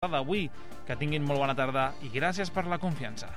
d'avui. Que tinguin molt bona tarda i gràcies per la confiança.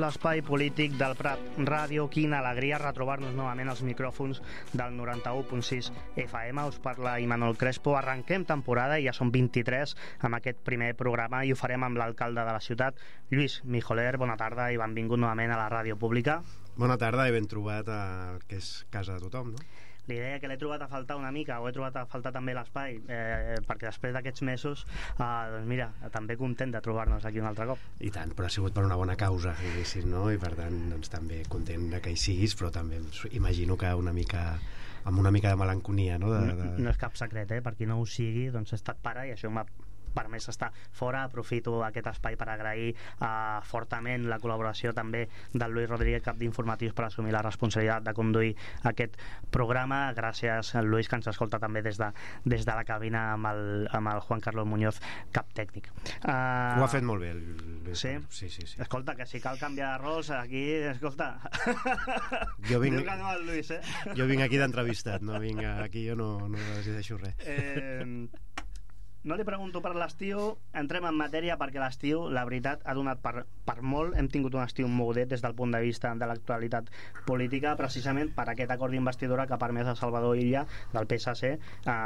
L'espai polític del Prat Ràdio. Quina alegria retrobar-nos novament als micròfons del 91.6 FM. Us parla Imanol Crespo. Arrenquem temporada i ja són 23 amb aquest primer programa i ho farem amb l'alcalde de la ciutat, Lluís Mijoler. Bona tarda i benvingut novament a la ràdio pública. Bona tarda i ben trobat al que és casa de tothom, no? Li deia que l'he trobat a faltar una mica, o he trobat a faltar també l'espai, perquè després d'aquests mesos, doncs mira, també content de trobar-nos aquí un altre cop. I tant, però ha sigut per una bona causa, no? I per tant, doncs, també content que hi siguis, però també imagino que amb una mica de melanconia, no? No és cap secret, per qui no ho sigui, doncs he estat pare i això m'ha permès estar fora. Aprofito aquest espai per agrair fortament la col·laboració també del Luis Rodríguez, cap d'informatius, per assumir la responsabilitat de conduir aquest programa. Gràcies al Luis, que ens escolta també des de la cabina amb el Juan Carlos Muñoz, cap tècnic. Ho ha fet molt bé el Luis. Sí? Sí. Escolta, que si cal canviar de rols aquí, escolta, jo vinc, que no el Luis, jo vinc aquí d'entrevistat, no vinc aquí, jo no decideixo res. No li pregunto per l'estiu, entrem en matèria, perquè l'estiu, la veritat, ha donat per molt. Hem tingut un estiu mogudet des del punt de vista de l'actualitat política, precisament per aquest acord d'investidura que ha permès a Salvador Illa, del PSC,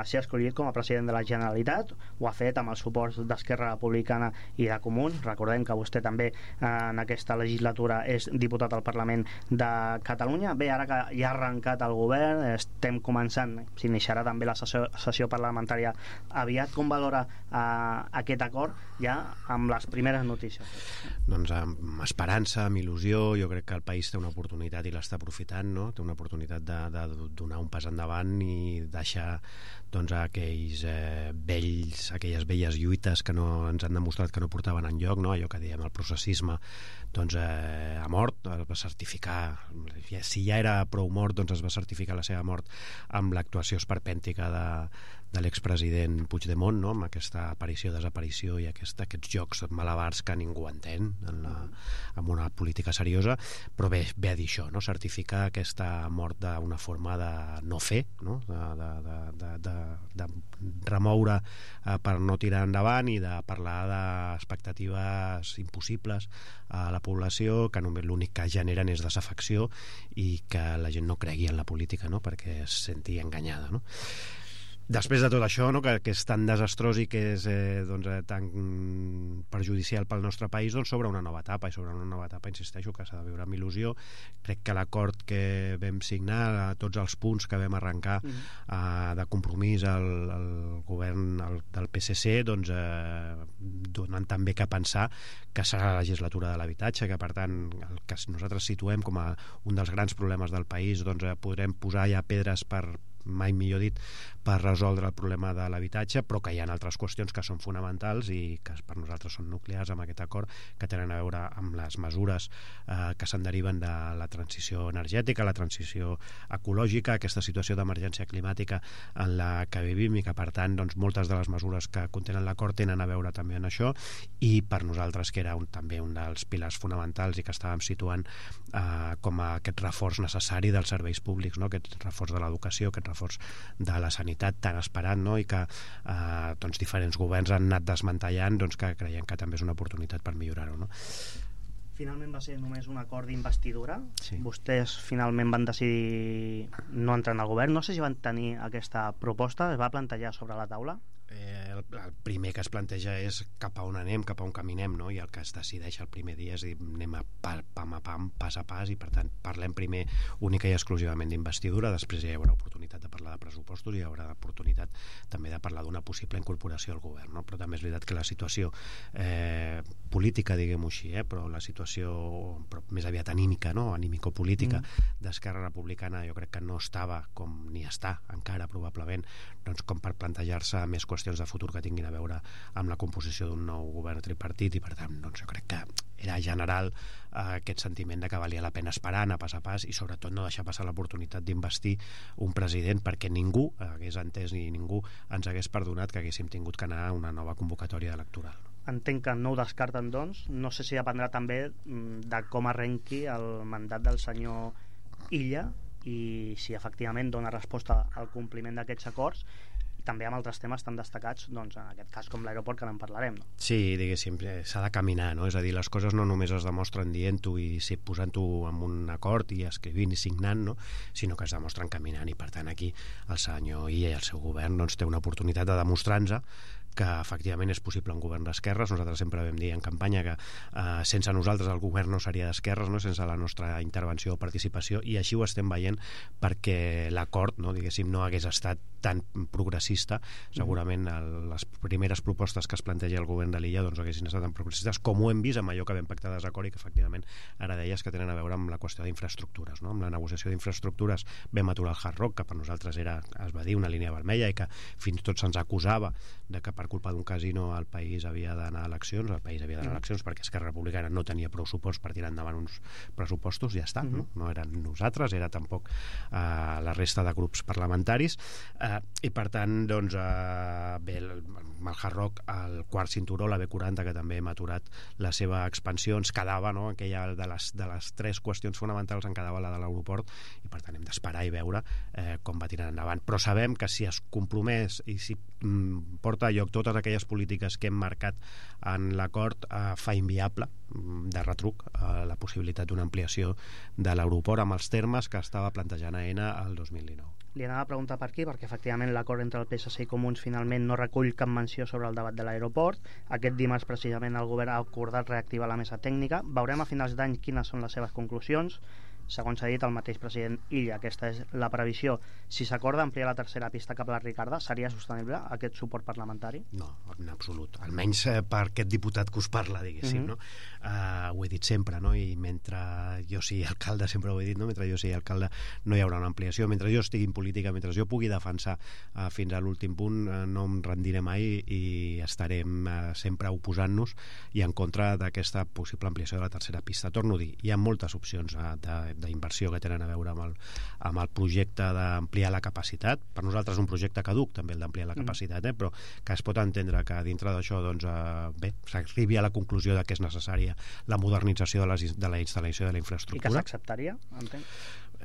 ser escollit com a president de la Generalitat. Ho ha fet amb el suport d'Esquerra Republicana i de Comuns. Recordem que vostè també en aquesta legislatura és diputat al Parlament de Catalunya. Bé, ara que ja ha arrencat el govern, estem començant, s'iniciarà també la sessió parlamentària aviat. Com valora aquest acord ja amb les primeres notícies? Doncs amb esperança, amb il·lusió. Jo crec que el país té una oportunitat i l'està aprofitant, no? Té una oportunitat de donar un pas endavant i deixar doncs aquelles velles lluites que no ens han demostrat que no portaven enlloc, no? Allò que dèiem, el processisme doncs ha mort, es va certificar, si ja era prou mort, doncs es va certificar la seva mort amb l'actuació esperpèntica de l'expresident Puigdemont, no? Amb aquesta aparició-desaparició i aquests jocs malabars que ningú entén en una política seriosa. Però bé a dir això, no? Certificar aquesta mort d'una forma de no fer, no? De remoure per no tirar endavant i de parlar d'expectatives impossibles a la població, que només l'únic que generen és desafecció i que la gent no cregui en la política, no? Perquè es senti enganyada, no? Després de tot això, no, que és tan desastrós i que és tan perjudicial pel nostre país, doncs s'obre una nova etapa, i sobre una nova etapa insisteixo que s'ha de veure amb il·lusió. Crec que l'acord que vam signar, tots els punts que vam arrencar de compromís al govern del PSC, doncs donen també que pensar que serà la legislatura de l'habitatge, que per tant el que nosaltres situem com a un dels grans problemes del país, doncs podrem posar ja pedres mai millor dit, per resoldre el problema de l'habitatge, però que hi ha altres qüestions que són fonamentals i que per nosaltres són nuclears amb aquest acord, que tenen a veure amb les mesures que se'n deriven de la transició energètica, la transició ecològica, aquesta situació d'emergència climàtica en la que vivim, i que per tant doncs, moltes de les mesures que contenen l'acord tenen a veure també en això, i per nosaltres que era també un dels pilars fonamentals i que estàvem situant com a aquest reforç necessari dels serveis públics, no? Aquest reforç de l'educació, aquest reforç de la sanitat tan esperat, no? I que doncs, diferents governs han anat desmantellant, doncs, que creiem que també és una oportunitat per millorar-ho, no? Finalment va ser només un acord d'investidura. Sí. Vostès finalment van decidir no entrar en el govern. No sé si van tenir aquesta proposta, es va plantejar sobre la taula. el primer que es planteja és cap a on anem, cap a on caminem, no? I el que es decideix el primer dia és dir, anem a pam a pam, pas a pas, i per tant parlem primer única i exclusivament d'investidura, després ja hi haurà oportunitat de parlar de pressupostos i hi haurà oportunitat també de parlar d'una possible incorporació al govern, no? Però també és veritat que la situació política, diguem-ho així, però la situació més aviat anímica, no? Anímico-política d'Esquerra Republicana jo crec que no estava com ni està encara probablement doncs com per plantejar-se més qüestions de futur que tinguin a veure amb la composició d'un nou govern tripartit, i per tant doncs jo crec que era general aquest sentiment de que valia la pena esperar, anar pas a pas, i sobretot no deixar passar l'oportunitat d'investir un president, perquè ningú hagués entès ni ningú ens hagués perdonat que haguéssim tingut que anar a una nova convocatòria electoral. Entenc que no ho descarten, doncs. No sé si dependrà també de com arrenqui el mandat del senyor Illa i si efectivament dona resposta al compliment d'aquests acords, i també amb altres temes tan destacats, doncs en aquest cas com l'aeroport, que en parlarem, no? Sí, diguéssim, s'ha de caminar, no? És a dir, les coses no només es demostren dient-ho i posant-ho en un acord i escrivint i signant, no? Sinó que es demostren caminant, i per tant aquí el senyor Illa i el seu govern doncs, té una oportunitat de demostrar-nos que efectivament és possible un govern d'esquerres. Nosaltres sempre vam dir en campanya que sense nosaltres el govern no seria d'esquerres, no? Sense la nostra intervenció o participació, i així ho estem veient, perquè l'acord, no, diguéssim, no hagués estat tan progressista. Segurament les primeres propostes que es planteja el govern de l'illa doncs haguessin estat tan progressistes com ho hem vist amb allò que vam pactar de desacord, i que efectivament ara deies que tenen a veure amb la qüestió d'infraestructures, no? Amb la negociació d'infraestructures vam aturar el Hard Rock, que per nosaltres era, es va dir, una línia vermella, i que fins i tot se'ns acusava de que per culpa d'un casino el país havia d'anar a eleccions, perquè Esquerra Republicana no tenia prou suports per tirar endavant uns pressupostos, ja està, no? No eren nosaltres, era tampoc la resta de grups parlamentaris, i per tant doncs bé, el Hard Rock, el quart cinturó, la B40, que també hem aturat la seva expansió, ens quedava, no? Aquella de les tres qüestions fonamentals en quedava la de l'aeroport, i per tant hem d'esperar i veure com va tirant endavant, però sabem que si es compromès i si porta a lloc totes aquelles polítiques que hem marcat en l'acord, fa inviable de retruc la possibilitat d'una ampliació de l'aeroport amb els termes que estava plantejant AENA el 2019. Li anava a preguntar per aquí, perquè efectivament l'acord entre el PSC i Comuns finalment no recull cap menció sobre el debat de l'aeroport. Aquest dimarts precisament el govern ha acordat reactivar la mesa tècnica. Veurem a finals d'any quines són les seves conclusions. Segons s'ha dit el mateix president Illa, aquesta és la previsió. Si s'acorda ampliar la tercera pista cap a la Ricarda, seria sostenible aquest suport parlamentari? No, en absolut. Almenys per aquest diputat que us parla, diguéssim, no? Ho he dit sempre, no? I mentre jo sigui alcalde, sempre ho he dit, no? Mentre jo sigui alcalde no hi haurà una ampliació. Mentre jo estigui en política, mentre jo pugui defensar fins a l'últim punt, no em rendiré mai i estarem sempre oposant-nos i en contra d'aquesta possible ampliació de la tercera pista. Torno a dir, hi ha moltes opcions d'inversió que tenen a veure amb el projecte d'ampliar la capacitat. Per nosaltres és un projecte caduc també el d'ampliar la capacitat, però que es pot entendre que dintre d'això doncs, bé, s'arribi a la conclusió de que és necessària la modernització de la instal·lació de la infraestructura. I que s'acceptaria, entenc?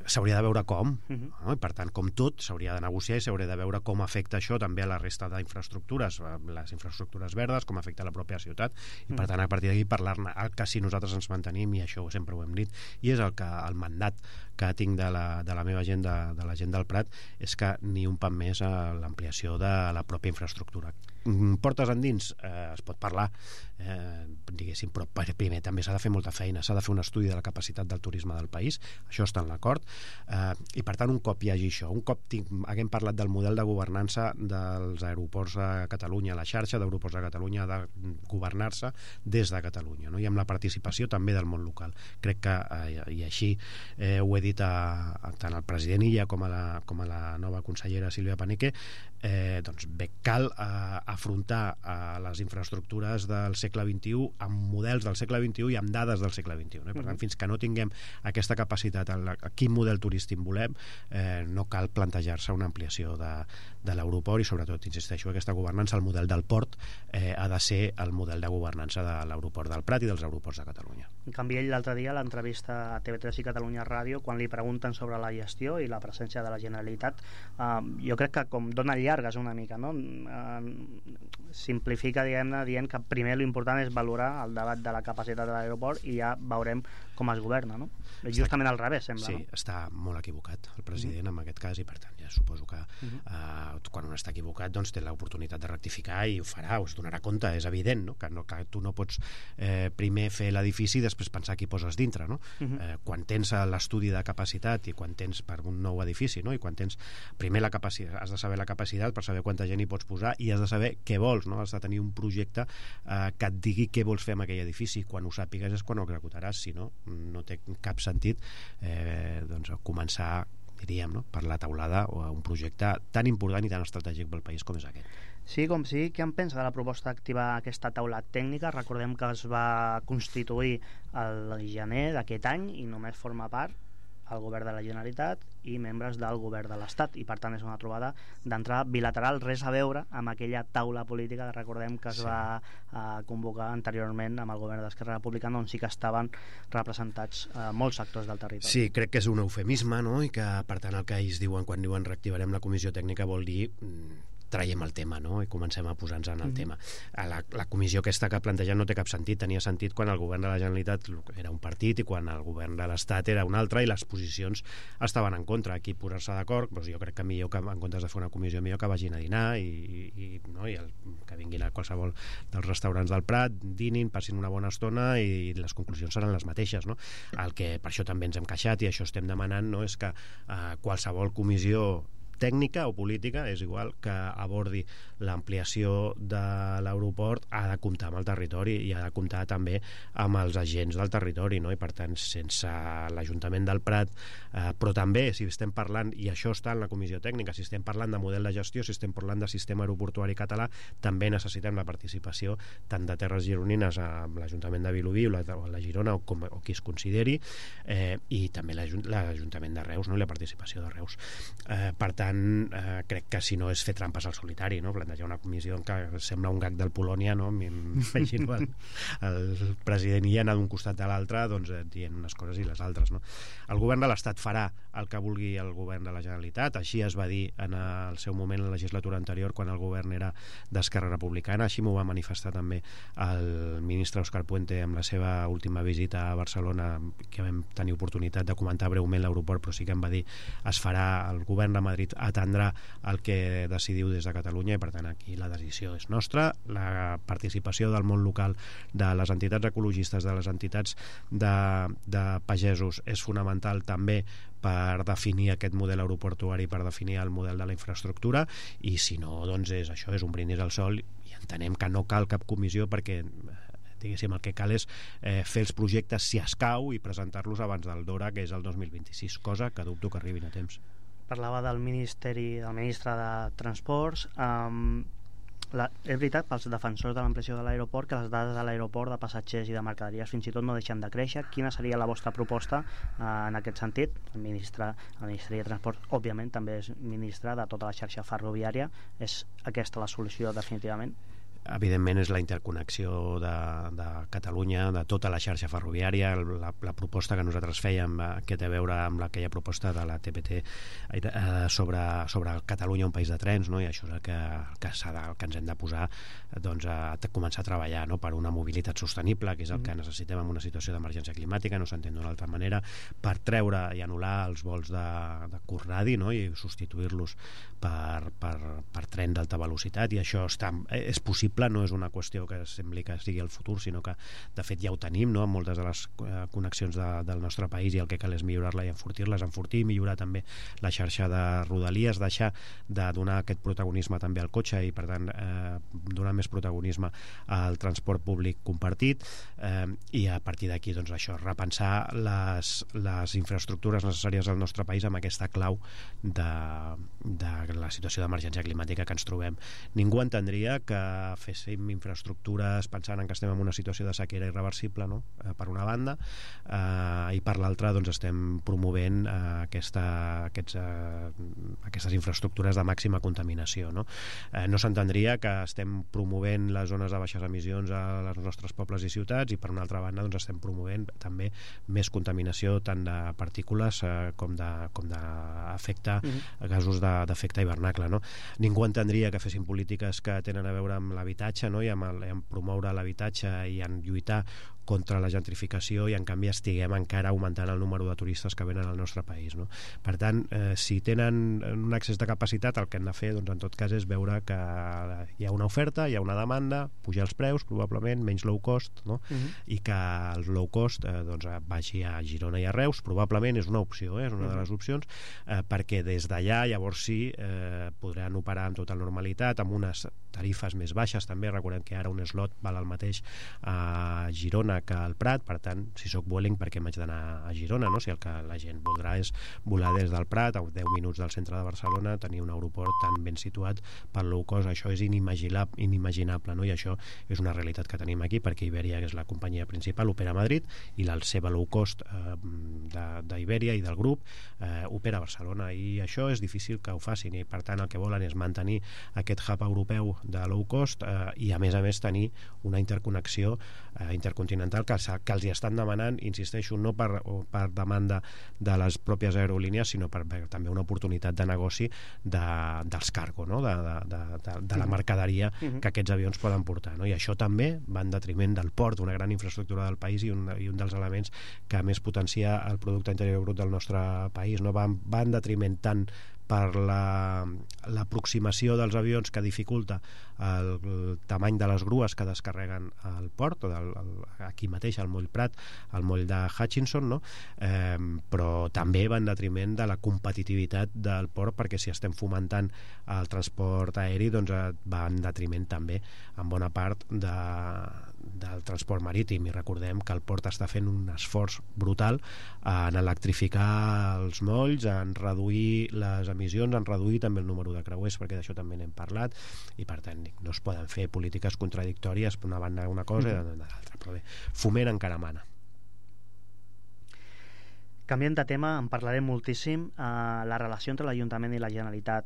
S'hauria de veure com, no? I per tant, com tot, s'hauria de negociar i s'hauria de veure com afecta això també a la resta d'infraestructures, les infraestructures verdes, com afecta la pròpia ciutat, i per tant a partir d'aquí parlar-ne. El que si nosaltres ens mantenim, i això sempre ho hem dit, i és el mandat que tinc de la meva gent, de la gent del Prat, és que ni un pam més a l'ampliació de la pròpia infraestructura. Portes endins, es pot parlar, diguéssim, però primer també s'ha de fer molta feina, s'ha de fer un estudi de la capacitat del turisme del país, això està en l'acord, i per tant un cop hi hagi això, un cop haguem parlat del model de governança dels aeroports a Catalunya, la xarxa d'aeroports a Catalunya ha de governar-se des de Catalunya, no? I amb la participació també del món local. Crec que, i així ho he dit tant al president Illa com a la nova consellera Sílvia Paneque, doncs bé, cal afrontar les infraestructures del segle XXI amb models del segle XXI i amb dades del segle XXI, no? Per tant, fins que no tinguem aquesta capacitat, quin model turístic volem, no cal plantejar-se una ampliació de l'aeroport, i sobretot, insisteixo, aquesta governança, el model del port ha de ser el model de governança de l'aeroport del Prat i dels aeroports de Catalunya. En canvi, ell l'altre dia a l'entrevista a TV3 i Catalunya Ràdio, quan li pregunten sobre la gestió i la presència de la Generalitat, jo crec que com dona llargues una mica, no? Simplifica, diguem-ne, dient que primer l'important és valorar el debat de la capacitat de l'aeroport i ja veurem com es governa, no? Justament al revés, sembla, sí, no? està molt equivocat el president en aquest cas, i per tant ja suposo que quan un està equivocat doncs té l'oportunitat de rectificar i ho farà, es donarà compte, és evident, no? Que tu no pots primer fer l'edifici i després pensar qui poses dintre, no? Quan tens l'estudi de capacitat i quan tens per un nou edifici, no? I quan tens primer la capacitat, has de saber la capacitat per saber quanta gent hi pots posar i has de saber què vols, no? Has de tenir un projecte que et digui què vols fer amb aquell edifici. Quan ho sàpigues és quan ho executaràs, si no, no té cap sentit doncs començar, diríem, no? Per la taulada o un projecte tan important i tan estratègic pel país com és aquest. Sí, com sí. Què en pensa de la proposta d'activar aquesta taula tècnica? Recordem que es va constituir el gener d'aquest any i només forma part el govern de la Generalitat i membres del govern de l'Estat, i per tant és una trobada d'entrada bilateral, res a veure amb aquella taula política que recordem que es va convocar anteriorment amb el govern d'Esquerra Republicana, on sí que estaven representats molts sectors del territori. Sí, crec que és un eufemisme, no? I que per tant el que ells diuen quan diuen reactivarem la comissió tècnica vol dir traiem el tema, no? I comencem a posar-nos en el tema. La comissió aquesta que plantegen no té cap sentit. Tenia sentit quan el govern de la Generalitat era un partit i quan el govern de l'Estat era un altre i les posicions estaven en contra. Aquí posar-se d'acord, doncs jo crec que millor que en comptes de fer una comissió millor que vagin a dinar i que vinguin a qualsevol dels restaurants del Prat, dinin, passin una bona estona i les conclusions seran les mateixes, no? El que per això també ens hem queixat i això estem demanant, no? És que qualsevol comissió tècnica o política, és igual, que abordi l'ampliació de l'aeroport ha de comptar amb el territori i ha de comptar també amb els agents del territori, no? I per tant sense l'Ajuntament del Prat, però també si estem parlant, i això està en la comissió tècnica, si estem parlant de model de gestió, si estem parlant de sistema aeroportuari català, també necessitem la participació tant de Terres Gironines amb l'Ajuntament de Vilobí o la Girona o qui es consideri, i també l'Ajuntament de Reus, no? I la participació de Reus. Per tant, crec que si no és fer trampes al solitari, no? Plantejar una comissió que sembla un gag del Polònia, no? M'imagino el president i anar d'un costat a l'altre, doncs dient unes coses i les altres, no? El govern de l'Estat farà el que vulgui el govern de la Generalitat, així es va dir en el seu moment en la legislatura anterior quan el govern era d'Esquerra Republicana, així m'ho va manifestar també el ministre Òscar Puente amb la seva última visita a Barcelona, que vam tenir oportunitat de comentar breument l'aeroport, però sí que em va dir es farà, el govern de Madrid atendrà el que decidiu des de Catalunya i per tant aquí la decisió és nostra. La participació del món local, de les entitats ecologistes, de les entitats de pagesos és fonamental també per definir aquest model aeroportuari, per definir el model de la infraestructura, i si no, doncs és això, és un brindis al sol i entenem que no cal cap comissió perquè diguéssim, el que cal és fer els projectes si escau i presentar-los abans del DORA, que és el 2026, cosa que dubto que arribin a temps. Parlava del ministre de Transports. És veritat, pels defensors de l'ampliació de l'aeroport, que les dades de l'aeroport de passatgers i de mercaderies fins i tot no deixen de créixer. Quina seria la vostra proposta en aquest sentit? El Ministeri de Transports, òbviament, també és ministre de tota la xarxa ferroviària. És aquesta la solució definitivament? Evidentment és la interconnexió de Catalunya, de tota la xarxa ferroviària. La proposta que nosaltres fèiem, que té a veure amb aquella proposta de la TPT sobre Catalunya, un país de trens, no? I això és el que ens hem de posar, doncs, a començar a treballar, no? Per una mobilitat sostenible, que és el que necessitem en una situació d'emergència climàtica, no s'entén d'una altra manera, per treure i anul·lar els vols de curt radi, no? I substituir-los per tren d'alta velocitat, i això és possible, no és una qüestió que sembli que sigui el futur, sinó que de fet ja ho tenim, no? En moltes de les connexions del nostre país, i el que cal és millorar-la i enfortir i millorar també la xarxa de rodalies, deixar de donar aquest protagonisme també al cotxe i per tant donar més protagonisme al transport públic compartit, i a partir d'aquí doncs això, repensar les infraestructures necessàries al nostre país amb aquesta clau de la situació d'emergència climàtica que ens trobem. Ningú entendria que féssim infraestructures pensant en que estem en una situació de sequera irreversible, no? Per una banda, i per l'altra doncs estem promovent aquestes infraestructures de màxima contaminació, no? No s'entendria que estem promovent les zones de baixes emissions als nostres pobles i ciutats, i per una altra banda doncs estem promovent també més contaminació tant de partícules com d'efecte, gasos d'efecte hivernacle, no? Ningú entendria que fessin polítiques que tenen a veure amb l'habitatge, no? I amb promoure l'habitatge i en lluitar contra la gentrificació, i en canvi estiguem encara augmentant el número de turistes que venen al nostre país, no? Per tant, si tenen un excés de capacitat, el que han de fer doncs, en tot cas és veure que hi ha una oferta, hi ha una demanda, pujar els preus probablement, menys low cost, no? I que el low cost doncs, vagi a Girona i a Reus, probablement és una opció, és una de les opcions, perquè des d'allà llavors sí podran operar amb tota normalitat, amb unes tarifes més baixes també. Recordem que ara un slot val el mateix a Girona que al Prat, per tant, si sóc Vueling, per què m'haig d'anar a Girona, no? Si el que la gent voldrà és volar des del Prat a 10 minuts del centre de Barcelona, tenir un aeroport tan ben situat per low cost, això és inimaginable, no? I això és una realitat que tenim aquí, perquè Iberia, que és la companyia principal, opera a Madrid, i la seva low cost d'Iberia i del grup opera a Barcelona, i això és difícil que ho facin, i per tant el que volen és mantenir aquest hub europeu de low cost, i a més tenir una interconnexió intercontinental que els hi estan demanant, insisteixo, no per demanda de les pròpies aerolínies, sinó per també una oportunitat de negoci dels cargo, no? de la mercaderia que aquests avions poden portar, no? I això també va en detriment del port, una gran infraestructura del país, i un dels elements que més potencia el producte interior brut del nostre país, no? Va en detriment tant per l'aproximació dels avions, que dificulta el tamany de les grues que descarreguen al port, aquí mateix al moll Prat, al moll de Hutchinson, no? Però també va en detriment de la competitivitat del port, perquè si estem fomentant el transport aeri, doncs va en detriment també en bona part del transport marítim, i recordem que el port està fent un esforç brutal en electrificar els molls, en reduir les emissions, en reduir també el número de creuers, perquè d'això també n'hem parlat, i per tant no es poden fer polítiques contradictòries, per una banda una cosa i de l'altra, però bé, foment encara mana. Canviant de tema, en parlarem moltíssim. La relació entre l'Ajuntament i la Generalitat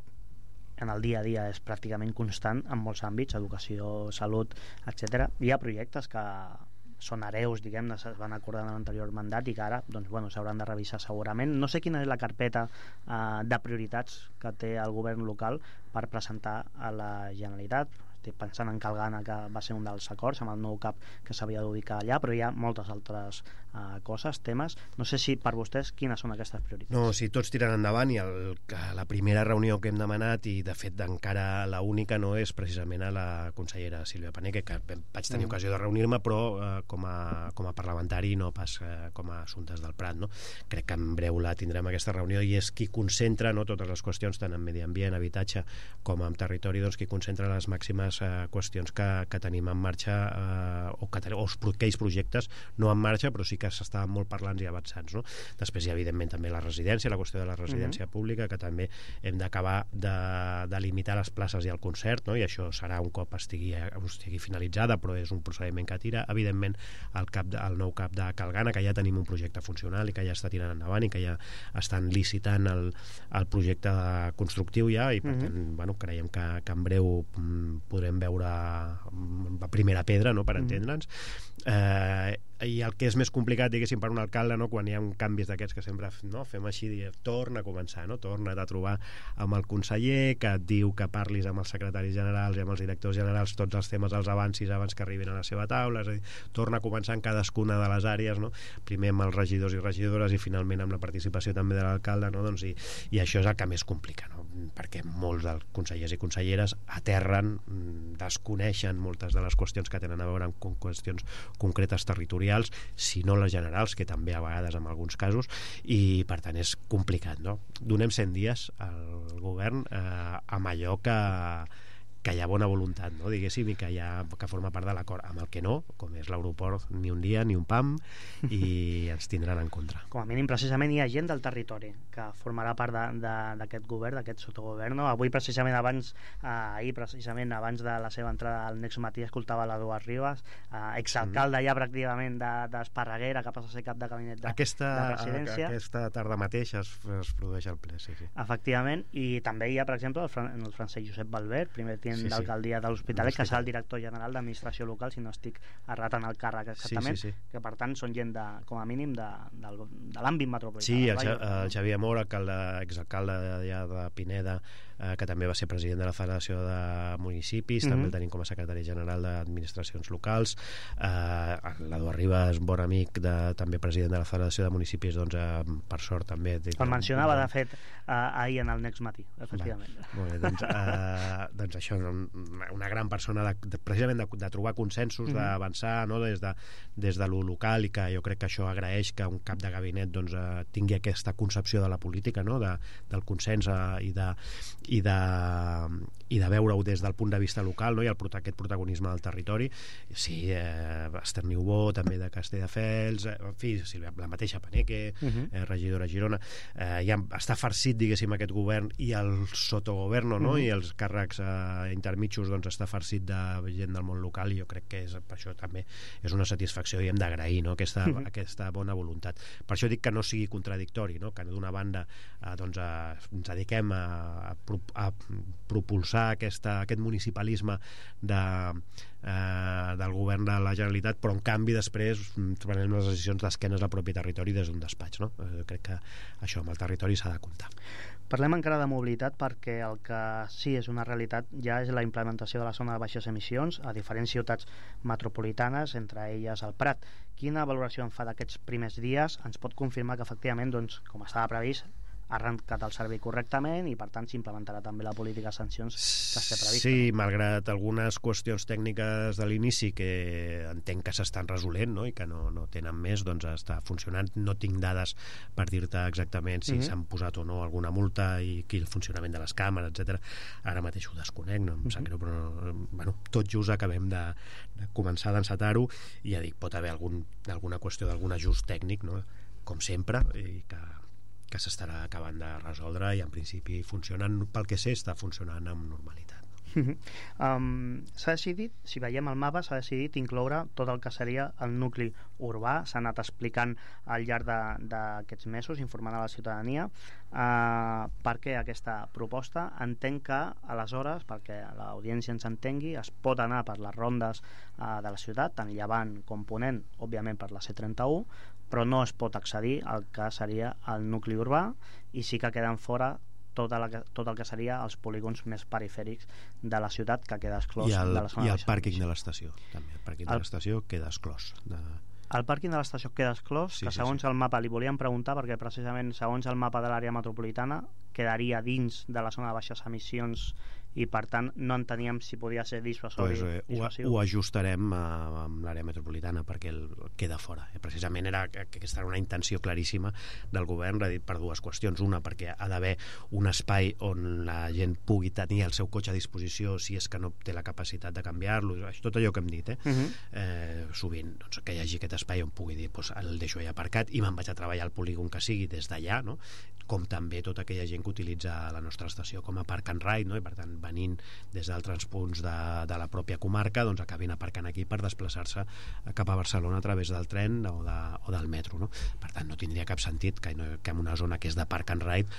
en el dia a dia és pràcticament constant en molts àmbits, educació, salut, etc. Hi ha projectes que són hereus, diguem-ne, es van acordar en l'anterior mandat i que ara doncs, s'hauran de revisar segurament. No sé quina és la carpeta de prioritats que té el govern local per presentar a la Generalitat. Estic pensant en Calgana, que va ser un dels acords amb el nou CAP que s'havia d'ubicar allà, però hi ha moltes altres coses, temes. No sé si per vostès quines són aquestes prioritats. No, si tots tiren endavant, i la primera reunió que hem demanat, i de fet encara la única, no és precisament a la consellera Sílvia Paneque, que vaig tenir ocasió de reunir-me, però com a parlamentari, no pas com a assumptes del Prat, no? Crec que en breu la tindrem aquesta reunió, i és qui concentra, no, totes les qüestions, tant en medi ambient, habitatge com en territori, doncs qui concentra les màximes qüestions que tenim en marxa, o aquells projectes no en marxa, però sí que s'estaven molt parlants i avançats, no? Després hi ha evidentment també la residència, la qüestió de la residència pública, que també hem d'acabar de limitar les places i el concert, no? I això serà un cop estigui finalitzada, però és un procediment que tira. Evidentment el nou CAP de Calgana, que ja tenim un projecte funcional i que ja està tirant endavant i que ja estan licitant el projecte constructiu ja, i per tant creiem que en breu podrem veure la primera pedra, no?, per entendre'ns. I el que és més complicat, diguéssim, per un alcalde, no?, quan hi ha canvis d'aquests que sempre fem així, torna a començar, no?, torna't a trobar amb el conseller, que et diu que parlis amb els secretaris generals i amb els directors generals tots els temes els avancis abans que arribin a la seva taula, és a dir, torna a començar en cadascuna de les àrees, no?, primer amb els regidors i regidores i finalment amb la participació també de l'alcalde, no?, doncs, i això és el que més complica, no?, perquè molts dels consellers i conselleres aterren, desconeixen moltes de les qüestions que tenen a veure amb qüestions concretes territorials, si no les generals, que també a vegades en alguns casos, i per tant és complicat, no? Donem 100 dies al govern amb allò hi ha bona voluntat, no? Diguéssim, i que forma part de l'acord. Amb el que no, com és l'aeroport, ni un dia ni un pam, i ens tindran en contra. Com a mínim, precisament, hi ha gent del territori que formarà part d'aquest govern, d'aquest sotogovern. Avui, precisament, ahir, abans de la seva entrada al Next Matí, escoltava l'Eduard Rivas, exalcalde ja pràcticament d'Esparreguera, que passa a ser cap de gabinet de presidència. Aquesta tarda mateix es produeix el ple, sí. Efectivament, i també hi ha, per exemple, el Francesc Josep Valverde, primer tinent d'alcaldia de l'Hospitalet, que serà el director general d'administració local, si no estic errat en el càrrec exactament, que per tant són gent, com a mínim, de l'àmbit metropolità. Sí, el Xavier Mora, exalcalde de Pineda, que també va ser president de la Federació de Municipis, també el tenim com a secretari general d'Administracions Locals. L'Eduard Rivas, bon amic, també president de la Federació de Municipis, doncs per sort també. El mencionava, de fet, ahir en el Next Matí, efectivament. Molt bé, doncs això, una gran persona precisament de trobar consensos, d'avançar, no, des de lo local, i que jo crec que això agraeix que un cap de gabinet doncs, tingui aquesta concepció de la política, no, del consens i de veure-ho des del punt de vista local, no, i aquest protagonisme del territori. Sí, Esther Niubó, també de Castelldefels, en fi, la mateixa Paneque, regidora a Girona. Ja està farcit, diguéssim, aquest govern, i el sotogoverno, no, i els càrrecs intermitjos, doncs està farcit de gent del món local, i jo crec que per això també és una satisfacció, i hem d'agrair, no, aquesta bona voluntat. Per això dic que no sigui contradictori, no, que d'una banda doncs, ens dediquem a propulsar aquest municipalisme del govern de la Generalitat, però en canvi després prenem les decisions d'esquenes al propi territori des d'un despatx, no? Crec que això amb el territori s'ha de comptar. Parlem encara de mobilitat, perquè el que sí és una realitat ja és la implementació de la zona de baixes emissions a diferents ciutats metropolitanes, entre elles el Prat. Quina valoració en fa d'aquests primers dies? Ens pot confirmar que efectivament, doncs, com estava previst, ha arrencat el servei correctament, i per tant s'implementarà també la política de sancions que està prevista? Sí, malgrat algunes qüestions tècniques de l'inici que entenc que s'estan resolent, no, i que no tenen més, doncs està funcionant. No tinc dades per dir-te exactament si s'han posat o no alguna multa i el funcionament de les càmeres, etc. Ara mateix ho desconec, no em sap greu, però tot just acabem de començar a d'encetar-ho, i ja dic, pot haver alguna qüestió d'algun ajust tècnic, no, com sempre, i que s'estarà acabant de resoldre, i en principi funcionen, pel que sé, està funcionant amb normalitat. S'ha decidit, si veiem el mapa, s'ha decidit incloure tot el que seria el nucli urbà. S'ha anat explicant al llarg d'aquests mesos, informant a la ciutadania per què aquesta proposta. Entenc que aleshores, perquè l'audiència ens entengui, es pot anar per les rondes de la ciutat, tant llevant com ponent, òbviament per la C31, però no es pot accedir al que seria el nucli urbà, i sí que queden fora tot el que seria els polígons més perifèrics de la ciutat, que queda exclòs de la zona. I el pàrquing de l'estació també. El pàrquing de l'estació queda exclòs. El pàrquing de l'estació queda exclòs, que segons el mapa, li volíem preguntar, perquè precisament segons el mapa de l'àrea metropolitana quedaria dins de la zona de baixes emissions, i per tant no enteníem si podia ser dissuasiu. Ho ajustarem amb l'àrea metropolitana, perquè queda fora. Precisament aquesta era una intenció claríssima del govern, per dues qüestions. Una, perquè ha d'haver un espai on la gent pugui tenir el seu cotxe a disposició si és que no té la capacitat de canviar-lo, tot allò que hem dit, sovint, doncs, que hi hagi aquest espai on pugui dir, el deixo allà aparcat i me'n vaig a treballar al polígon que sigui des d'allà, no? Com també tota aquella gent que utilitza la nostra estació com a park and ride, no? I per tant venint des d'altres punts de la pròpia comarca, doncs acabin aparcant aquí per desplaçar-se cap a Barcelona a través del tren o del metro, no? Per tant no tindria cap sentit que en una zona que és de park and ride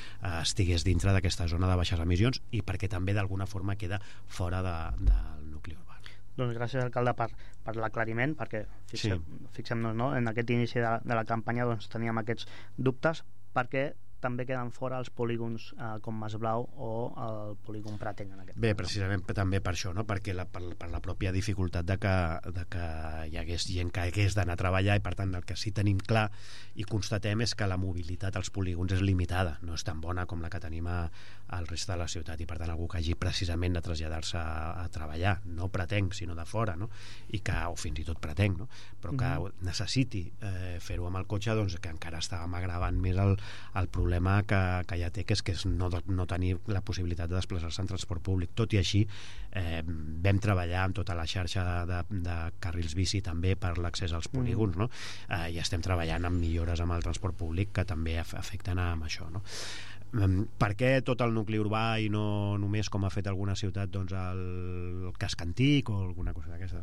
estigués dintre d'aquesta zona de baixes emissions, i perquè també d'alguna forma queda fora del nucli urbà. Doncs gràcies, alcalde, per l'aclariment, perquè fixem-nos, no? En aquest inici de la campanya doncs teníem aquests dubtes, perquè també queden fora els polígons com Masblau o el polígon Pratenc en aquest cas. Bé, precisament també per això, no? Perquè per la pròpia dificultat de que hi hagués gent que hagués d'anar a treballar, i per tant el que sí tenim clar i constatem és que la mobilitat als polígons és limitada, no és tan bona com la que tenim al resta de la ciutat, i per tant algú que hagi precisament de traslladar-se a treballar, no Pratenc sinó de fora, no? O fins i tot Pratenc, no? Però que necessiti fer-ho amb el cotxe, doncs que encara estàvem agravant més el problema problema que ja té, que és no tenir la possibilitat de desplaçar-se en transport públic. Tot i així, vam treballar amb tota la xarxa de carrils bici també per l'accés als polígons, no? I estem treballant amb millores amb el transport públic que també afecten amb això, no? Per què tot el nucli urbà i no només, com ha fet alguna ciutat, doncs el casc antic o alguna cosa d'aquestes?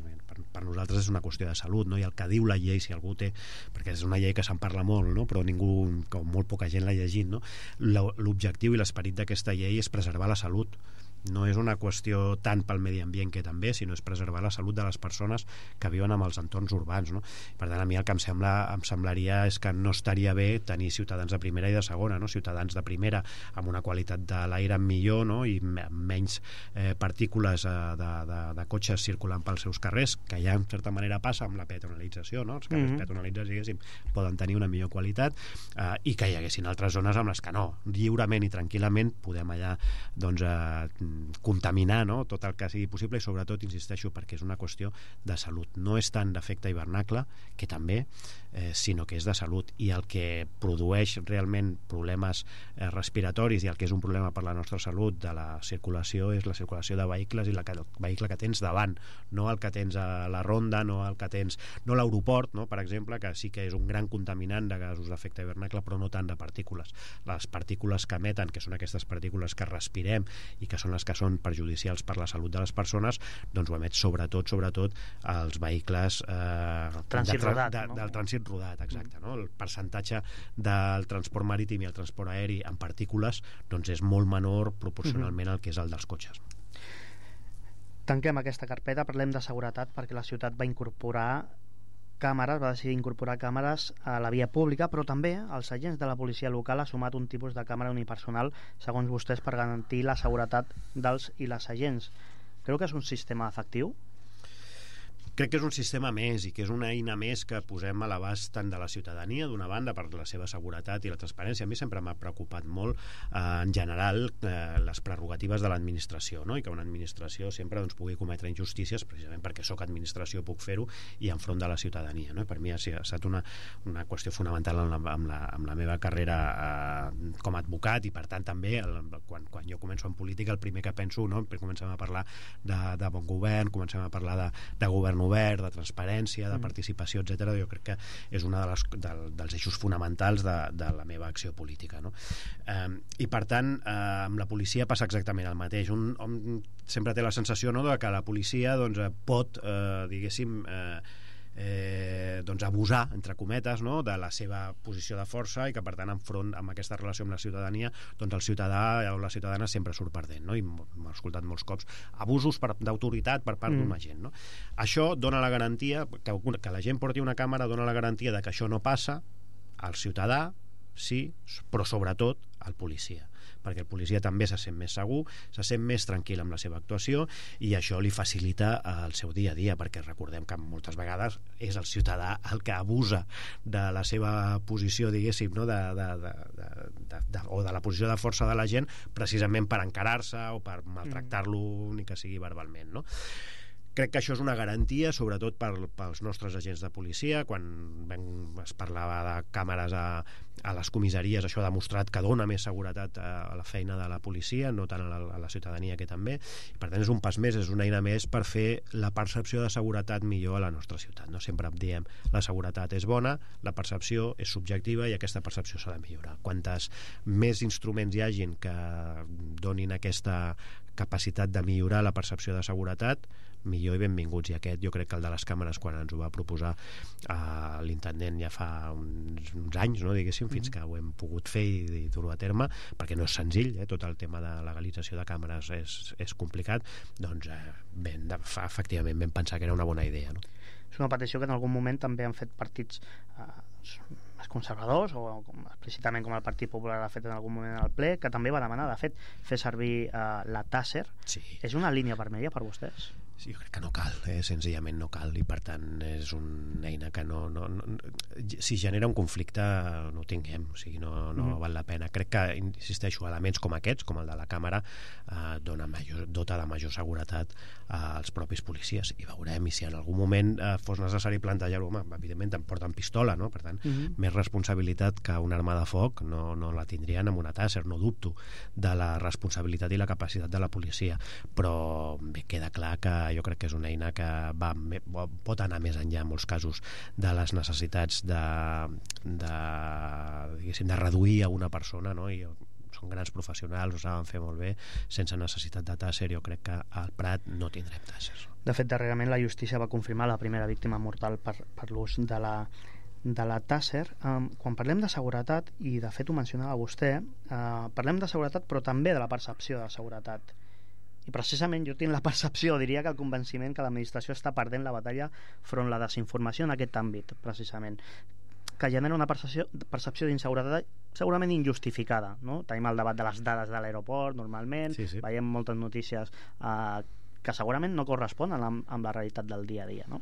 Per nosaltres és una qüestió de salut, no? I el que diu la llei, si algú té, perquè és una llei que se'n parla molt, no? Però ningú, com molt poca gent l'ha llegit, no? L'objectiu i l'esperit d'aquesta llei és preservar la salut. No és una qüestió tant pel medi ambient, que també, sinó és preservar la salut de les persones que viuen en els entorns urbans, no? Per tant, a mi el que em semblaria és que no estaria bé tenir ciutadans de primera i de segona, no? Ciutadans de primera amb una qualitat de l'aire millor, no? I amb menys partícules de cotxes circulant pels seus carrers, que ja en certa manera passa amb la peatonalització, no? Els carrers peatonalitzats, diguéssim, poden tenir una millor qualitat, i que hi haguessin altres zones amb les que no, lliurement i tranquil·lament podem allà, doncs, contaminar, no? Tot el que sigui possible, i sobretot, insisteixo, perquè és una qüestió de salut. No és tant d'efecte hivernacle, que també, sinó que és de salut, i el que produeix realment problemes respiratoris i el que és un problema per la nostra salut de la circulació és la circulació de vehicles i el vehicle que tens davant, no el que tens a la ronda, no el que tens, no l'aeroport, no? Per exemple, que sí que és un gran contaminant de gasos d'efecte hivernacle, però no tant de partícules. Les partícules que emeten, que són aquestes partícules que respirem i que són les que són perjudicials per la salut de les persones, doncs ho emet sobretot els vehicles del trànsit rodat, exacte, no? El percentatge del transport marítim i el transport aeri en partícules, doncs és molt menor proporcionalment al que és el dels cotxes. Tanquem aquesta carpeta, parlem de seguretat, perquè la ciutat va decidir incorporar càmeres a la via pública, però també els agents de la policia local ha sumat un tipus de càmera unipersonal, segons vostès, per garantir la seguretat dels i les agents. Creu que és un sistema efectiu? Crec que és un sistema més i que és una eina més que posem a l'abast tant de la ciutadania, d'una banda, per la seva seguretat i la transparència. A mi sempre m'ha preocupat molt, en general, les prerrogatives de l'administració, no? I que una administració sempre, doncs, pugui cometre injustícies, precisament perquè sóc administració, puc fer-ho, i enfront de la ciutadania, no? Per mi ha estat una qüestió fonamental amb la meva carrera com a advocat, i per tant també quan jo començo en política, el primer que penso, no? Comencem a parlar de bon govern, comencem a parlar de govern obert, de transparència, de participació, etc. Jo crec que és un dels eixos fonamentals de la meva acció política, no? I per tant, amb la policia passa exactament el mateix. Un sempre té la sensació, no?, de que la policia, doncs, pot, diguéssim, doncs abusar, entre cometes, no?, de la seva posició de força, i que per tant enfront amb aquesta relació amb la ciutadania, doncs el ciutadà o la ciutadana sempre surt perdent, no? I m'he escoltat molts cops abusos d'autoritat per part d'un agent, no? Això dona la garantia que la gent porti una càmera, dona la garantia de que això no passa al ciutadà, sí, però sobretot al policia, perquè el policia també se sent més segur, se sent més tranquil amb la seva actuació, i això li facilita el seu dia a dia, perquè recordem que moltes vegades és el ciutadà el que abusa de la seva posició, diguéssim, no?, o de la posició de força de la gent, precisament per encarar-se o per maltractar-lo, ni que sigui verbalment, no? Crec que això és una garantia, sobretot pels nostres agents de policia. Quan es parlava de càmeres a les comissaries, això ha demostrat que dona més seguretat a la feina de la policia, no tant a la ciutadania, que també. I per tant és un pas més, és una eina més per fer la percepció de seguretat millor a la nostra ciutat, no? Sempre diem, la seguretat és bona, la percepció és subjectiva i aquesta percepció s'ha de millorar. Quantes més instruments hi hagin que donin aquesta capacitat de millorar la percepció de seguretat, millor i benvinguts. I aquest, jo crec que el de les càmeres, quan ens ho va proposar l'intendent ja fa uns anys, no, diguéssim, fins que ho hem pogut fer i dur-ho a terme, perquè no és senzill, tot el tema de legalització de càmeres és complicat, doncs efectivament vam pensar que era una bona idea, no? És una petició que en algun moment també han fet partits més conservadors, o explícitament com el Partit Popular ha fet en algun moment al ple, que també va demanar, de fet, fer servir la tàser. Sí. És una línia vermella per vostès? Sí, jo crec que no cal, senzillament no cal, i per tant és una eina que no si genera un conflicte no ho tinguem, o sigui, no val la pena. Crec que, insisteixo, elements com aquests, com el de la càmera, dota de major seguretat als propis policies, i veurem, i si en algun moment fos necessari plantejar-ho, evidentment em porten pistola, no? Per tant, més responsabilitat que una arma de foc no la tindrien amb una Taser, no dubto de la responsabilitat i la capacitat de la policia, però bé, queda clar que jo crec que és una eina que pot anar més enllà en molts casos de les necessitats diguéssim, de reduir a una persona, no? I són grans professionals, ho saben fer molt bé, sense necessitat de Taser. Jo crec que al Prat no tindrem Taser. De fet, darrerament la justícia va confirmar la primera víctima mortal per l'ús de la Taser. Quan parlem de seguretat, i de fet ho mencionava vostè, parlem de seguretat però també de la percepció de seguretat. I precisament jo tinc la percepció, diria que el convenciment, que l'administració està perdent la batalla front la desinformació en aquest àmbit, precisament, que genera una percepció d'inseguretat segurament injustificada, no? Tenim el debat de les dades de l'aeroport normalment, sí. Veiem moltes notícies que segurament no corresponen amb la realitat del dia a dia, no?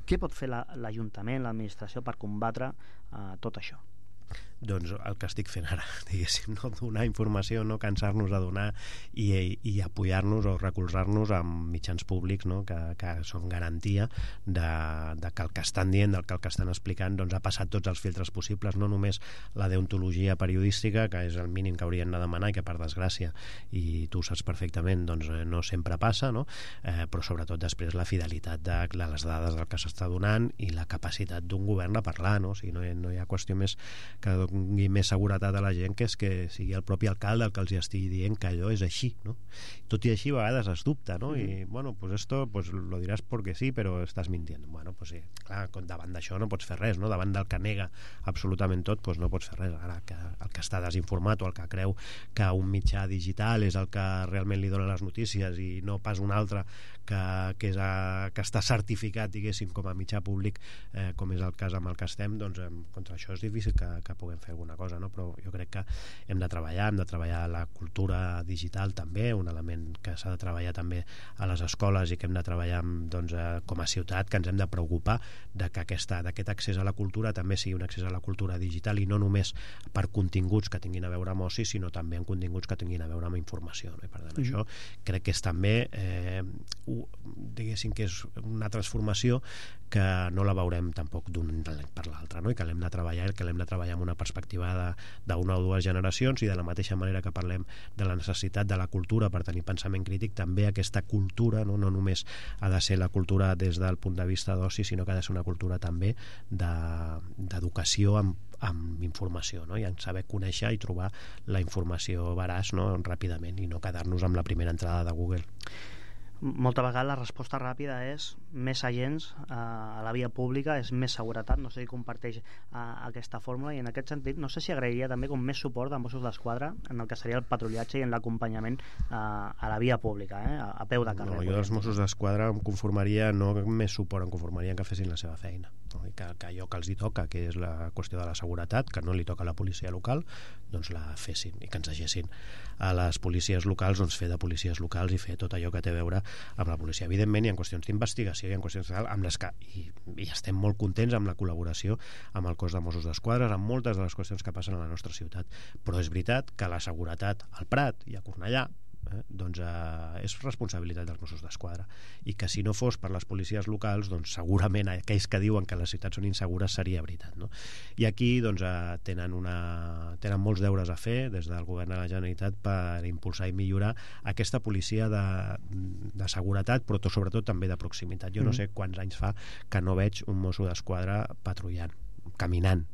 Què pot fer l'Ajuntament, l'administració, per combatre tot això? Doncs el que estic fent ara, diguéssim, no donar informació, no cansar-nos de donar i apoyar-nos o recolzar-nos amb mitjans públics, no? que són garantia de que el que estan dient, del que el que estan explicant, doncs ha passat tots els filtres possibles, no només la deontologia periodística, que és el mínim que haurien de demanar i que per desgràcia, i tu ho saps perfectament, doncs no sempre passa, no? Però sobretot després la fidelitat de les dades del que s'està donant i la capacitat d'un govern de parlar, no? O sigui, no hi ha qüestió més que doni més seguretat a la gent, que és que sigui el propi alcalde el que els hi estigui dient que allò és així, no? Tot i així a vegades es dubta, no? I bueno, pues esto pues lo dirás porque sí, pero estás mintiendo. Bueno, pues sí, clar, davant d'això no pots fer res, no? Davant del que nega absolutament tot, pues no pots fer res. Ara, que el que està desinformat o el que creu que un mitjà digital és el que realment li dona les notícies i no pas un altre que està certificat, diguéssim, com a mitjà públic, com és el cas amb el que estem, doncs contra això és difícil que puguem fer alguna cosa, no? Però jo crec que hem de treballar la cultura digital també, un element que s'ha de treballar també a les escoles i que hem de treballar doncs, com a ciutat, que ens hem de preocupar de que aquest accés a la cultura també sigui un accés a la cultura digital i no només per continguts que tinguin a veure amb oci, sinó també en continguts que tinguin a veure amb informació, no? I per tant això crec que és també diguéssim que és una transformació que no la veurem tampoc d'un any per l'altre, no? I que l'hem de treballar amb una perspectiva d'una o dues generacions, i de la mateixa manera que parlem de la necessitat de la cultura per tenir pensament crític, també aquesta cultura no només ha de ser la cultura des del punt de vista d'oci, sinó que ha de ser una cultura també d'educació amb informació, no? I en saber conèixer i trobar la informació veraç, no? Ràpidament, i no quedar-nos amb la primera entrada de Google. Molta vegada la resposta ràpida és més agents a la via pública, és més seguretat. No sé si comparteix aquesta fórmula, i en aquest sentit no sé si agrairia també com més suport de Mossos d'Esquadra en el que seria el patrullatge i en l'acompanyament a la via pública, a peu de carrer. No, jo dels Mossos d'Esquadra em conformaria, no més suport, em conformaria que fessin la seva feina, no? I que allò que els hi toca, que és la qüestió de la seguretat, que no li toca a la policia local, doncs la fessin, i que ens deixessin a les policies locals doncs fer de policies locals i fer tot allò que té a veure amb la policia. Evidentment hi ha qüestions d'investigació, hi ha qüestions amb les que i estem molt contents amb la col·laboració amb el cos de Mossos d'Esquadra amb moltes de les qüestions que passen a la nostra ciutat, però és veritat que la seguretat al Prat i a Cornellà doncs és responsabilitat dels Mossos d'Esquadra, i que si no fos per les policies locals, doncs segurament aquells que diuen que les ciutats són insegures seria veritat, no? I aquí doncs tenen molts deures a fer des del govern de la Generalitat per impulsar i millorar aquesta policia de seguretat, però sobretot també de proximitat. Jo no sé quants anys fa que no veig un Mosso d'Esquadra patrullant, caminant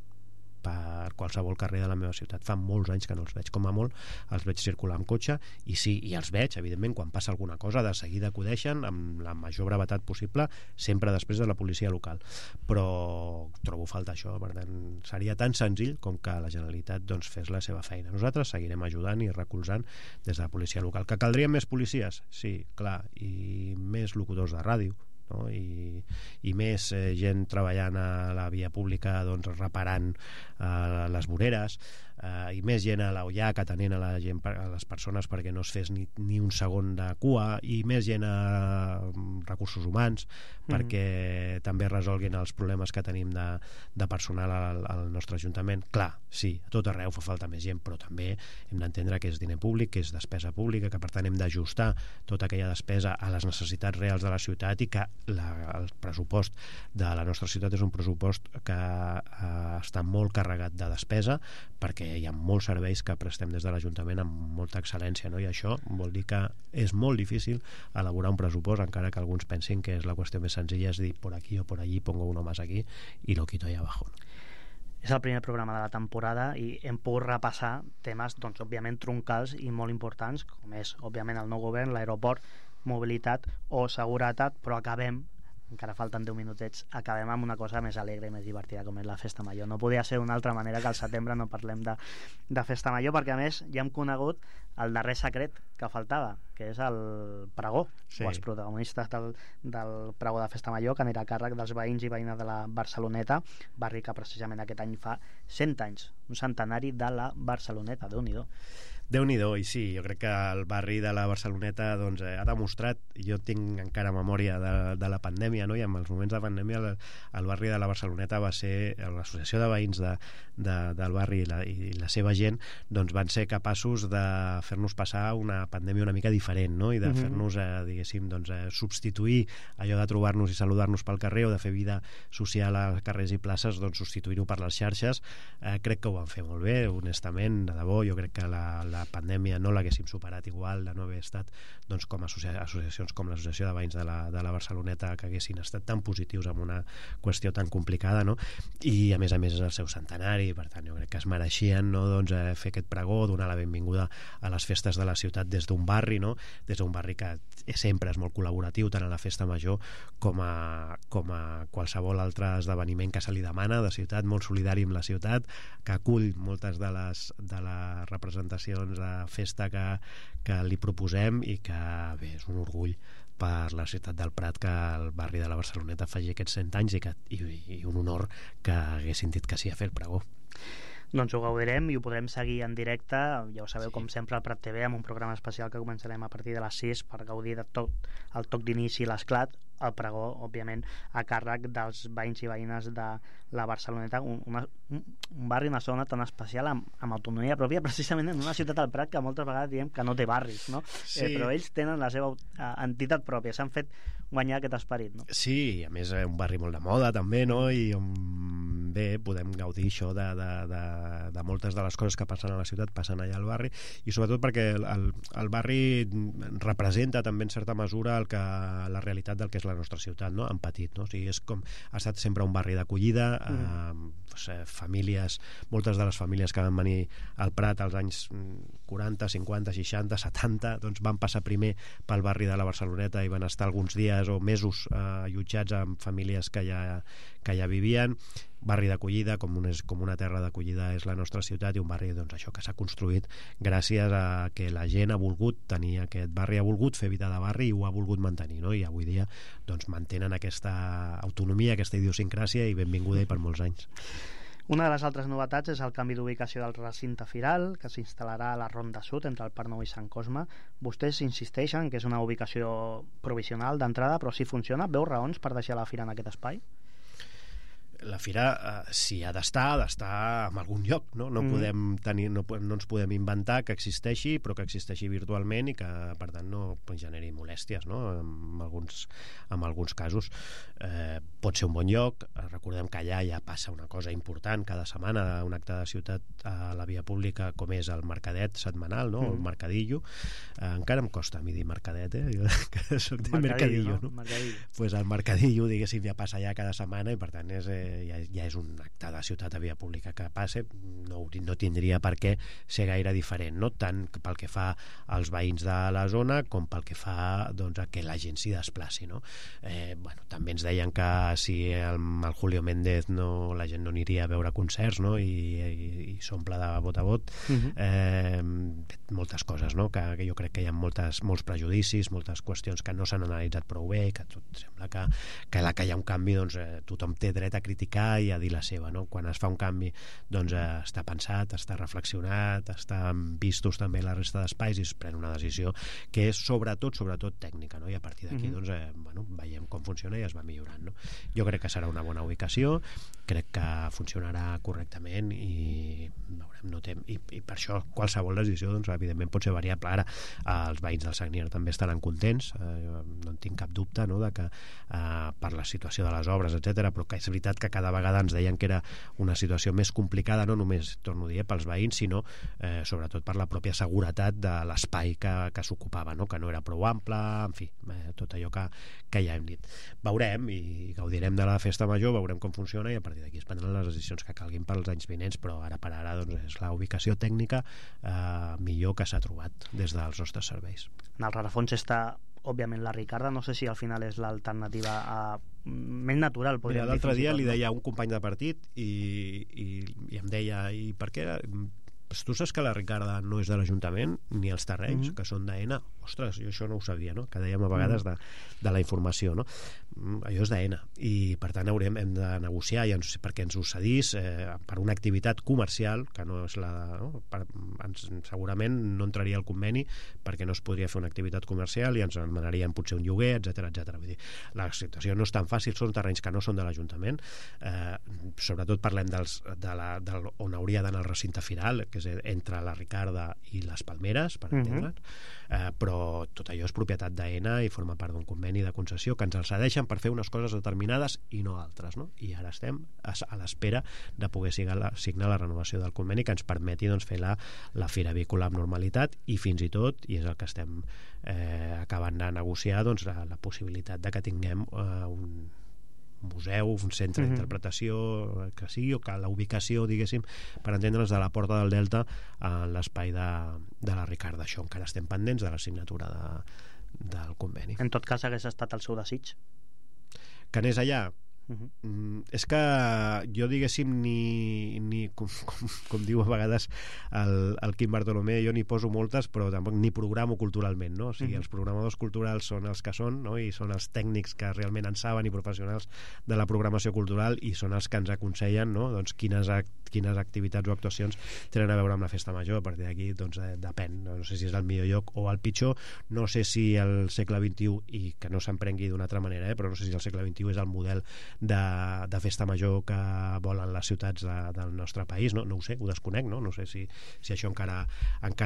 per qualsevol carrer de la meva ciutat. Fa molts anys que no els veig. Com a molt els veig circular amb cotxe, i sí, i els veig, evidentment, quan passa alguna cosa de seguida acudeixen amb la major brevetat possible, sempre després de la policia local, però trobo falta això. Per tant, seria tan senzill com que la Generalitat doncs fes la seva feina. Nosaltres seguirem ajudant i recolzant des de la policia local. Que caldrien més policies? Sí, clar, i més locutors de ràdio, no? I més gent treballant a la via pública, doncs, reparant les voreres, i més gent a l'OIAC atenent a les persones perquè no es fes ni un segon de cua, i més gent a recursos humans perquè també resolguin els problemes que tenim de personal al nostre Ajuntament. Clar, sí, a tot arreu fa falta més gent, però també hem d'entendre que és diner públic, que és despesa pública, que per tant hem d'ajustar tota aquella despesa a les necessitats reals de la ciutat, i que el pressupost de la nostra ciutat és un pressupost que està molt carregat de despesa, perquè hi ha molts serveis que prestem des de l'Ajuntament amb molta excel·lència, no? I això vol dir que és molt difícil elaborar un pressupost, encara que alguns pensin que és la qüestió més senzilla, és dir, por aquí o por allí, pongo uno más aquí y lo quito ahí abajo, no? És el primer programa de la temporada i hem pogut repassar temes, doncs, òbviament, troncals i molt importants, com és, òbviament, el nou govern, l'aeroport, mobilitat o seguretat, però acabem, encara falten 10 minutets, acabem amb una cosa més alegre i més divertida, com és la Festa Major. No podia ser d'una altra manera que al setembre no parlem de Festa Major, perquè a més ja hem conegut el darrer secret que faltava, que és el pregó, o els protagonistes del pregó de Festa Major, que anirà a càrrec dels veïns i veïnes de la Barceloneta, barri que precisament aquest any fa 100 anys, un centenari de la Barceloneta. Déu-n'hi-do. Déu-n'hi-do, i sí, jo crec que el barri de la Barceloneta, doncs, ha demostrat, jo tinc encara memòria de la pandèmia, no? I en els moments de pandèmia el barri de la Barceloneta va ser, l'associació de veïns del barri i la seva gent, doncs van ser capaços de fer-nos passar una pandèmia una mica diferent, no? I de fer-nos, diguéssim, doncs, substituir allò de trobar-nos i saludar-nos pel carrer, o de fer vida social a carrers i places, doncs substituir-ho per les xarxes. Crec que ho van fer molt bé, honestament, de debò. Jo crec que la pandèmia no l'haguéssim superat igual de no haver estat, doncs, com associacions com l'Associació de Veïns de la Barceloneta, que haguessin estat tan positius en una qüestió tan complicada, no? I a més és el seu centenari, per tant jo crec que es mereixien, no, doncs, fer aquest pregó, donar la benvinguda a les festes de la ciutat des d'un barri, no? Des d'un barri que sempre és molt col·laboratiu, tant a la Festa Major com a qualsevol altre esdeveniment que se li demana de ciutat, molt solidari amb la ciutat, que acull moltes de les representacions de festa que li proposem, i que, bé, és un orgull per la ciutat del Prat que el barri de la Barceloneta faci aquests 100 anys, i un honor que haguessin dit que sí a fer el pregó. Doncs ho gaudirem i ho podrem seguir en directe, ja ho sabeu, com sempre, al Prat TV, amb un programa especial que començarem a partir de les 6 per gaudir de tot el toc d'inici i l'esclat, el pregó, òbviament, a càrrec dels veïns i veïnes de la Barceloneta, un barri, una zona tan especial, amb autonomia pròpia, precisament en una ciutat del Prat que moltes vegades diem que no té barris, no? Sí. Però ells tenen la seva entitat pròpia, s'han fet guanyar aquest esperit, no? Sí, a més un barri molt de moda també, no? I bé, podem gaudir això de moltes de les coses que passen a la ciutat, passen allà al barri, i sobretot perquè el barri representa també en certa mesura la realitat del que és la nostra ciutat, no? En petit, no? O sigui, ha estat sempre un barri d'acollida, famílies, moltes de les famílies que van venir al Prat als anys 40, 50, 60, 70, doncs van passar primer pel barri de la Barceloneta i van estar alguns dies o mesos allotjats amb famílies que ja vivien. Barri d'acollida, com una terra d'acollida és la nostra ciutat, i un barri, doncs, això que s'ha construït gràcies a que la gent ha volgut tenir aquest barri, ha volgut fer vida de barri i ho ha volgut mantenir, no? I avui dia, doncs, mantenen aquesta autonomia, aquesta idiosincràsia, i benvinguda i per molts anys. Una de les altres novetats és el canvi d'ubicació del recinte firal, que s'instal·larà a la Ronda Sud, entre el Parc Nou i Sant Cosme. Vostès insisteixen que és una ubicació provisional d'entrada, però si funciona, veu raons per deixar la fira en aquest espai? La fira, si ha d'estar en algun lloc, no? No podem tenir, no ens podem inventar que existeixi, però que existeixi virtualment i que, per tant, no generi molèsties, no? En alguns casos. Pot ser un bon lloc. Recordem que allà ja passa una cosa important cada setmana, un acte de ciutat a la via pública, com és el mercadet setmanal, no? El mercadillo. Encara em costa a mi dir mercadet, que soc de mercadillo, no? Pues el mercadillo, diguéssim, ja passa allà cada setmana, i per tant és ja és un acte de ciutat de via pública que passa, no tindria per què ser gaire diferent, no? Tant pel que fa als veïns de la zona com pel que fa, doncs, a que la gent s'hi desplaci, no? També ens deien que si amb el Julio Méndez la gent no aniria a veure concerts, no? I s'omple de vot a vot. Moltes coses, no? Que jo crec que hi ha molts prejudicis, moltes qüestions que no s'han analitzat prou bé, que tot sembla que la que hi ha un canvi, doncs, tothom té dret a criticar i a dir la seva, no? Quan es fa un canvi, doncs, està pensat, està reflexionat, estan vistos també la resta d'espais i es pren una decisió que és sobretot tècnica, no? I a partir d'aquí doncs, veiem com funciona i es va millorant, no? Jo crec que serà una bona ubicació, crec que funcionarà correctament i veurem, i per això qualsevol decisió, doncs, evidentment pot ser variable. Ara els veïns del Sagnier també estaran contents, no en tinc cap dubte, no? De que per la situació de les obres, etc, però que és veritat que cada vegada ens deien que era una situació més complicada, no només, torno a dir, pels veïns, sinó sobretot per la pròpia seguretat de l'espai que s'ocupava, no? Que no era prou ample, en fi, tot allò que ja hem dit. Veurem i gaudirem de la festa major, veurem com funciona i a partir d'aquí es prendran les decisions que calguin pels anys vinents, però ara per ara, doncs, és la ubicació tècnica millor que s'ha trobat des dels nostres serveis. En el rerefons està, òbviament, la Ricarda. No sé si al final és l'alternativa més natural. Mira, l'altre dia li deia a un company de partit i em deia, i per què? Tu saps que la Ricarda no és de l'Ajuntament ni els terrenys, que són d'AENA? Ostres, jo això no ho sabia, no? Que dèiem a vegades de la informació, no? Allò és d'AENA i per tant hem de negociar perquè ens ho cedís per una activitat comercial que no és segurament no entraria al conveni perquè no es podria fer una activitat comercial i ens demanarien potser un lloguer, etc. Vull dir, la situació no és tan fàcil, són terrenys que no són de l'Ajuntament, sobretot parlem on hauria d'anar el recinte firal, que és entre la Ricarda i les Palmeres, per entendre'ns, però tot allò és propietat d'AENA i forma part d'un conveni de concessió que ens el cedeixen per fer unes coses determinades i no altres, no? I ara estem a l'espera de poder signar la renovació del conveni que ens permeti, doncs, fer la fira avícola amb normalitat i fins i tot, i és el que estem acabant de negociar, doncs, la possibilitat de que tinguem un museu, un centre d'interpretació que sigui, o que la ubicació, diguéssim, per entendre'ns, de la Porta del Delta en l'espai de la Ricarda. Això encara estem pendents de la signatura del conveni. En tot cas, hagués estat el seu desig? Que anés allà? És que jo, diguéssim, com diu a vegades el Quim Bartolomé, jo n'hi poso moltes, però tampoc n'hi programo culturalment, no? O sigui, els programadors culturals són els que són, no? I són els tècnics que realment en saben i professionals de la programació cultural i són els que ens aconsellen, no? Doncs quines activitats o actuacions tenen a veure amb la festa major. A partir d'aquí, doncs, depèn. No sé si és el millor lloc o el pitjor, no sé si el segle XXI, i que no s'emprengui d'una altra manera, però no sé si el segle XXI és el model de festa major que volen les ciutats del nostre país, no ho sé, ho desconec, no sé si això encara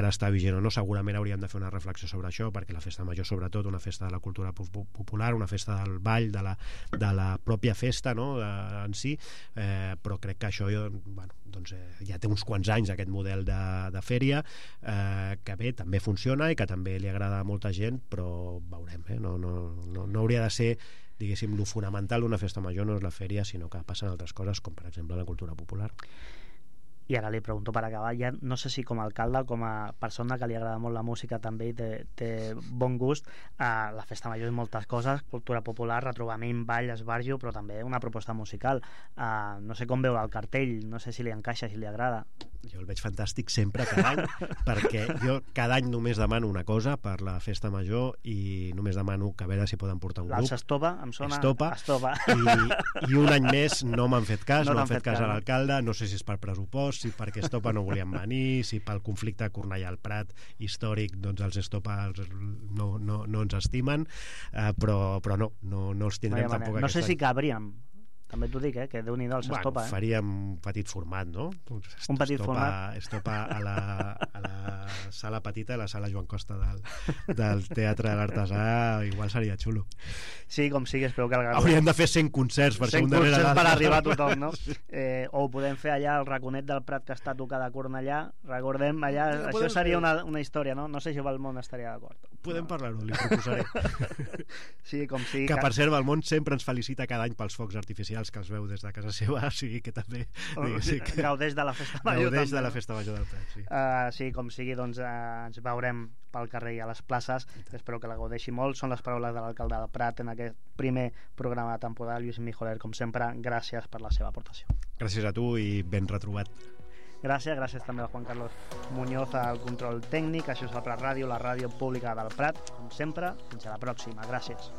està vigent o no. Segurament hauríem de fer una reflexió sobre això, perquè la festa major, sobretot, una festa de la cultura popular, una festa del ball, de la pròpia festa, no? En si, però crec que això doncs, ja té uns quants anys aquest model de fèria, que bé, també funciona i que també li agrada a molta gent, però veurem, no hauria de ser, diguéssim, lo fonamental d'una festa major no és la fèria, sinó que passen altres coses, com per exemple la cultura popular. I ara li pregunto per acabar, ja no sé si com a alcalde o com a persona que li agrada molt la música també i té bon gust, la festa major és moltes coses, cultura popular, retrobament, ball, esbarjo, però també una proposta musical. No sé com veu el cartell, no sé si li encaixa, si li agrada. Jo el veig fantàstic sempre, cada any, perquè jo cada any només demano una cosa per la festa major i només demano que a veure si poden portar un grup. L'Alça Estopa, em sona? Estopa. I un any més no m'han fet cas, no han fet cas a l'alcalde, no sé si és per pressupost, si perquè Estopa no volien venir, si pel conflicte Cornellà al Prat històric, doncs els Estopa no ens estimen, però no els tindrem tampoc. No sé si cabríem, també t'ho dic, que Déu-n'hi-do els Estopa. Faríem un petit format, no? Un petit format. Estopa a la sala petita, a la sala Joan Costa del Teatre de l'Artesà, igual seria xulo. Sí, com sigui, espero que hauríem de fer 100 concerts per 100 concerts per arribar a tothom, no? O ho podem fer allà al raconet del Prat que està tocada a Cornellà, recordem allà, això seria una història, no? No sé si el món estaria d'acord. Podem parlar-ho, li proposaré. Sí, com sigui. Que per cert, el món sempre ens felicita cada any pels focs artificials que els veu des de casa seva, o sigui que també gaudeix de la festa major. Gaudeix de la festa major del Prat, sí. Sí, com sigui, doncs ens veurem pel carrer i a les places. Espero que la gaudeixi molt. Són les paraules de l'alcalde del Prat en aquest primer programa de temporada. Lluís Mijoler, com sempre, gràcies per la seva aportació. Gràcies a tu i ben retrobat. Gràcies també a Juan Carlos Muñoz al control tècnic. Això és el Prat Ràdio, la ràdio pública del Prat. Com sempre, fins a la pròxima. Gràcies.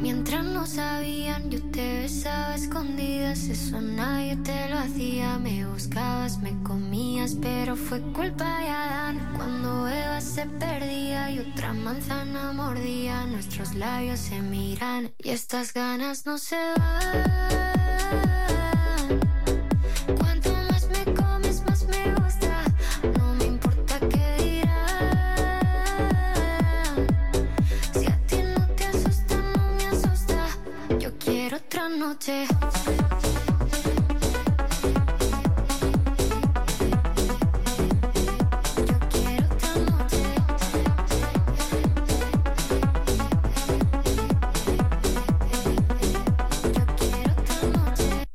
Mientras no sabían, yo te besaba a escondidas. Eso nadie te lo hacía. Me buscabas, me comías, pero fue culpa de Adán. Cuando Eva se perdía y otra manzana mordía, nuestros labios se miran y estas ganas no se van. Cuanto más me comes, más me gusta. No me importa qué dirán. Si a ti no te asusta, no me asusta. Yo quiero otra noche.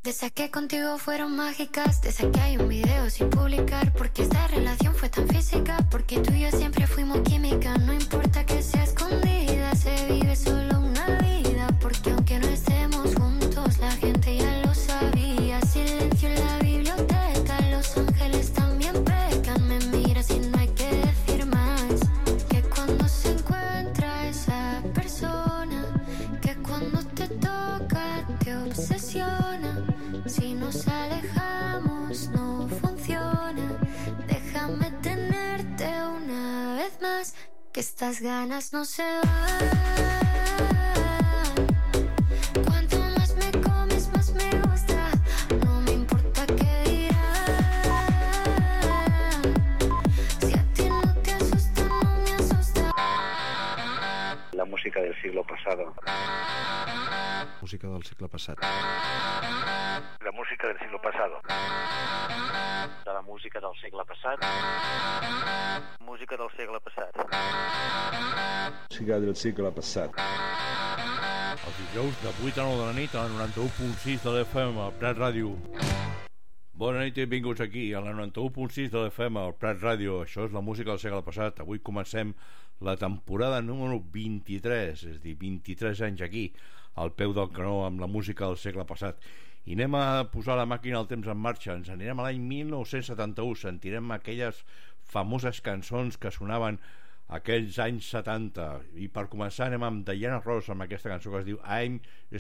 De esas que contigo fueron mágicas, de esas que hay un video sin publicar, porque esta relación fue tan física, porque tú y yo siempre fuimos química. No importa que sea escondida, se vive solo una vida, porque aunque no estemos juntos, la gente ya lo sabía. Silencio en la biblioteca, los ángeles también pecan. Me miras y no hay que decir más, que cuando se encuentra esa persona, que cuando te toca te obsesiona. Si nos alejamos no funciona. Déjame tenerte una vez más, que estas ganas no se van. Cuanto más me comes, más me gusta. No me importa qué dirán. Si a ti no te asusta, no me asusta. La música del siglo pasado. Música del segle passat. La música del siglo pasado. De la música del segle passat. Música del segle passat. Música del segle passat. Els dijous de 8 a 9 de la nit a la 91.6 de l'FM al Prat Ràdio. Bona nit i benvinguts aquí a la 91.6 de l'FM al Prat Ràdio. Això és la música del segle passat. Avui comencem la temporada número 23, és a dir, 23 anys aquí al peu del canó amb la música del segle passat. I anem a posar la màquina del temps en marxa. Ens anirem a l'any 1971. Sentirem aquelles famoses cançons que sonaven aquells anys 70. I per començar anem amb Diana Ross amb aquesta cançó que es diu I'm